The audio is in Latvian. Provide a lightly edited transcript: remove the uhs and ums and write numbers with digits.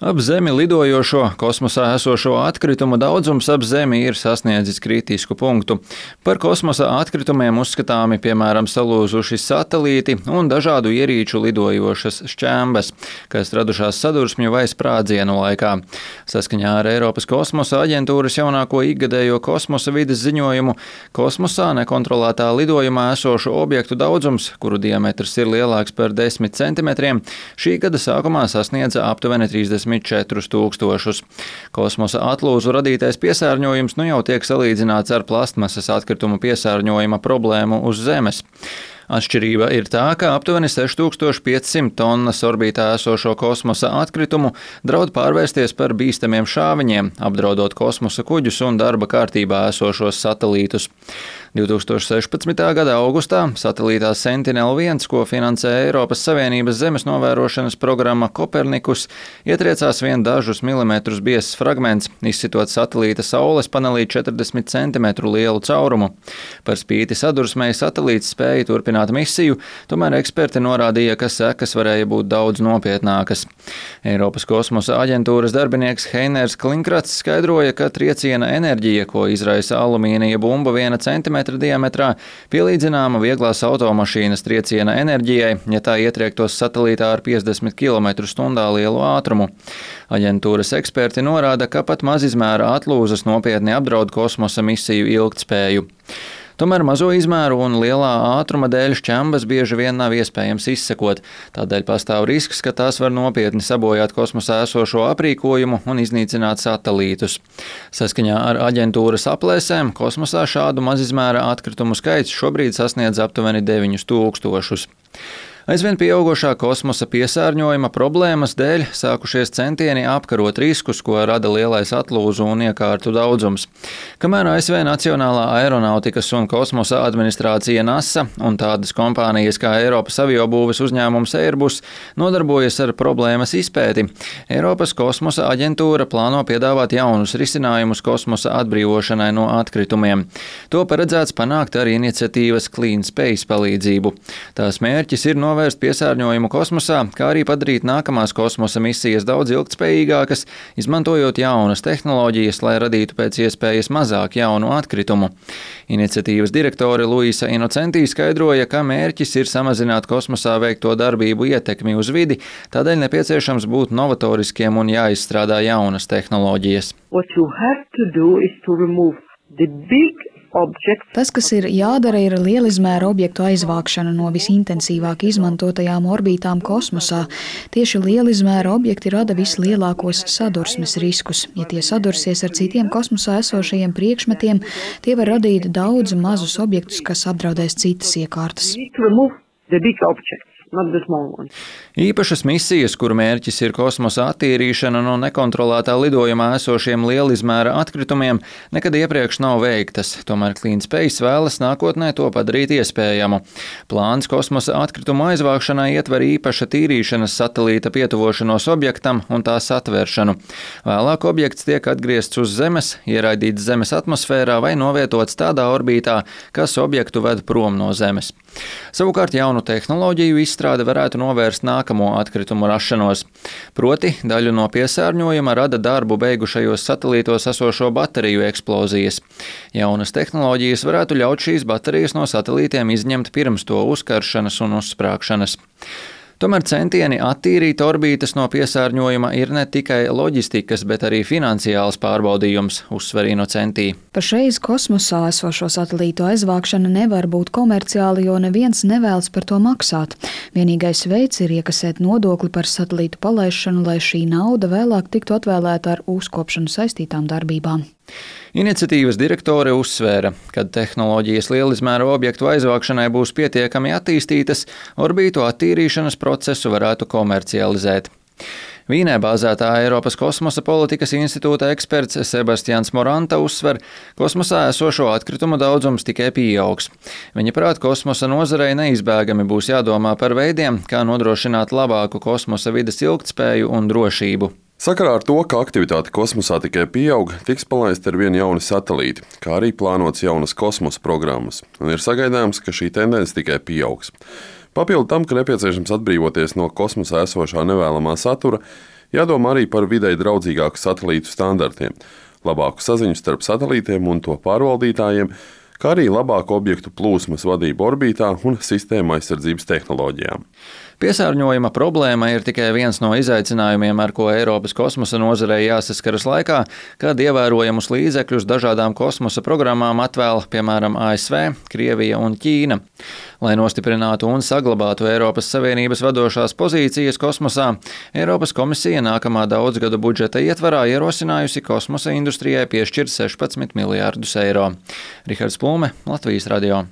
Ap Zemi lidojošo kosmosā esošo atkritumu daudzums ap Zemi ir sasniedzis kritisku punktu. Par kosmosa atkritumiem uzskatāmi, piemēram, salūzuši satelīti un dažādu ierīču lidojošas šķembes, kas radušās sadursmju vai sprādzienu laikā. Saskaņā ar Eiropas kosmosa aģentūras jaunāko ikgadējo kosmosa vides ziņojumu, kosmosā nekontrolētā lidojumā esošu objektu daudzums, kuru diametrs ir lielāks par 10 centimetriem, šī gada sākumā sasniedza aptuveni 34 000. Kosmosa atlūzu radītais piesārņojums nu jau tiek salīdzināts ar plastmasas atkritumu piesārņojuma problēmu uz Zemes. Atšķirība ir tā, ka aptuveni 6500 tonnas orbītā esošo kosmosa atkritumu draud pārvērsties par bīstamiem šāviņiem, apdraudot kosmosa kuģus un darba kārtībā esošos satelītus. 2016. gada augustā satelītā Sentinel-1, ko finansē Eiropas Savienības zemes novērošanas programma Kopernikus, ietriecās vien dažus milimetrus biezs fragments, izsitot satelīta saules panelī 40 cm lielu caurumu. Par spīti sadursmei satelīts spēja turpināt misiju, tomēr eksperti norādīja, ka sekas varēja būt daudz nopietnākas. Eiropas kosmosa aģentūras darbinieks Heiners Klinkrats skaidroja, ka trieciena enerģija, ko izraisa alumīnija bumba 1 cm diametrā, pielīdzināma vieglās automašīnas trieciena enerģijai, ja tā ietriektos satelītā ar 50 km/h lielu ātrumu. Aģentūras eksperti norāda, ka pat mazizmēra atlūzas nopietni apdraud kosmosa misiju ilgtspēju. Tomēr mazo izmēru un lielā ātruma dēļ šķembas bieži vien nav iespējams izsekot, tādēļ pastāv risks, ka tās var nopietni sabojāt kosmosā esošo aprīkojumu un iznīcināt satelītus. Saskaņā ar aģentūras aplēsēm kosmosā šādu mazizmēra atkritumu skaits šobrīd sasniedz aptuveni 9000. Aizvien pieaugošā kosmosa piesārņojuma problēmas dēļ sākušies centieni apkarot riskus, ko rada lielais atlūzu un iekārtu daudzums. Kamēr ASV Nacionālā aeronautikas un kosmosa administrācija NASA un tādas kompānijas kā Eiropas aviobūves uzņēmums Airbus nodarbojas ar problēmas izpēti, Eiropas kosmosa aģentūra plāno piedāvāt jaunus risinājumus kosmosa atbrīvošanai no atkritumiem. To paredzēts panākt ar iniciatīvas Clean Space palīdzību. Tās mērķis ir novērst piesārņojumu kosmosā, kā arī padarīt nākamās kosmosa misijas daudz ilgtspējīgākas, izmantojot jaunas tehnoloģijas, lai radītu pēc iespējas mazāk jaunu atkritumu. Iniciatīvas direktore Luisa Inocentī skaidroja, ka mērķis ir samazināt kosmosā veikto darbību ietekmi uz vidi, tādēļ nepieciešams būt novatoriskiem un jāizstrādā jaunas tehnoloģijas. Tas, kas ir jādara, ir lielizmēra objektu aizvākšana no visintensīvāk izmantotajām orbītām kosmosā. Tieši lielizmēra objekti rada vislielākos sadursmes riskus. Ja tie sadursies ar citiem kosmosā esošajiem priekšmetiem, tie var radīt daudz mazus objektus, kas apdraudēs citas iekārtas. Īpašas misijas, kuru mērķis ir kosmosa attīrīšana no nekontrolētā lidojumā esošiem lielizmēra atkritumiem, nekad iepriekš nav veiktas, tomēr Clean Space vēlas nākotnē to padarīt iespējamu. Plāns kosmosa atkritumu aizvākšanai ietver īpaša tīrīšanas satelīta pietuvošanos objektam un tā satvēršanu. Vēlāk objekts tiek atgriezts uz Zemes, ieraidīts Zemes atmosfērā vai novietots tādā orbītā, kas objektu ved prom no Zemes. Savukārt jaunu tehnoloģiju izstrāde varētu novērst nākamo atkritumu rašanos. Proti, daļu no piesārņojuma rada darbu beigušajos satelītos esošo bateriju eksplozijas. Jaunas tehnoloģijas varētu ļaut šīs baterijas no satelītiem izņemt pirms to uzkaršanas un uzsprāgšanas. Tomēr centieni attīrīt orbītas no piesārņojuma ir ne tikai loģistikas, bet arī finansiāls pārbaudījums, uzsver Inocentī. Pašreiz kosmosā esošo satelītu aizvākšana nevar būt komerciāli, jo neviens nevēlas par to maksāt. Vienīgais veids ir iekasēt nodokli par satelītu palaišanu, lai šī nauda vēlāk tiktu atvēlēta ar uzkopšanu saistītām darbībām. Iniciatīvas direktore uzsvēra, kad tehnoloģijas lielizmēra objektu aizvākšanai būs pietiekami attīstītas, orbītu attīrīšanas procesu varētu komercializēt. Vīnē bāzētā Eiropas kosmosa politikas institūta eksperts Sebastians Moranta uzsver, kosmosā esošo atkritumu daudzums tikai pieaugs. Viņa prāt, kosmosa nozarei neizbēgami būs jādomā par veidiem, kā nodrošināt labāku kosmosa vides ilgtspēju un drošību. Sakarā ar to, ka aktivitāte kosmosā tikai pieaug, tiks palaisti ar vien jauni satelīti, kā arī plānots jaunas kosmosa programmas, un ir sagaidāms, ka šī tendence tikai pieaugs. Papildu tam, ka nepieciešams atbrīvoties no kosmosā esošā nevēlamā satura, Jādomā arī par videi draudzīgāku satelītu standartiem, labāku saziņu starp satelītiem un to pārvaldītājiem, kā arī labāku objektu plūsmas vadību orbītā un sistēma aizsardzības tehnoloģijām. Piesārņojuma problēma ir tikai viens no izaicinājumiem, ar ko Eiropas kosmosa nozarei jāsaskaras laikā, kad ievērojamus līdzekļus dažādām kosmosa programmām atvēl, piemēram, ASV, Krievija un Ķīna. Lai nostiprinātu un saglabātu Eiropas Savienības vadošās pozīcijas kosmosā, Eiropas komisija nākamā daudzgadu budžeta ietvarā ierosinājusi kosmosa industrijai piešķirt 16 miljārdus eiro. Rihards Plūme, Latvijas radio.